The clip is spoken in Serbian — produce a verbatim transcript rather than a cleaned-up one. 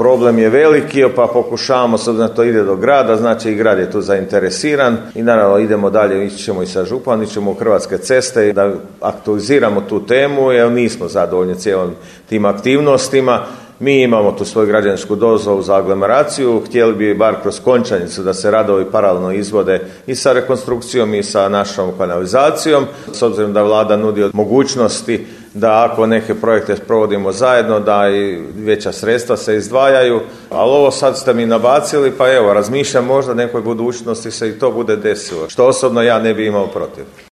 Problem je veliki, pa pokušavamo, sad da to ide do grada, znači i grad je tu zainteresiran i naravno idemo dalje, ići ćemo i sa županom, ići ćemo u Hrvatske ceste da aktualiziramo tu temu, jer nismo zadovoljni cijelim tim aktivnostima. Mi imamo tu svoju građevinsku dozvolu za aglomeraciju, htjeli bi bar kroz Končanicu da se radovi paralelno izvode i sa rekonstrukcijom i sa našom kanalizacijom, s obzirom da vlada nudi mogućnosti da ako neke projekte provodimo zajedno, da i veća sredstva se izdvajaju, ali ovo sad ste mi nabacili, pa evo, razmišljam možda nekoj budućnosti se i to bude desilo, što osobno ja ne bi imao protiv.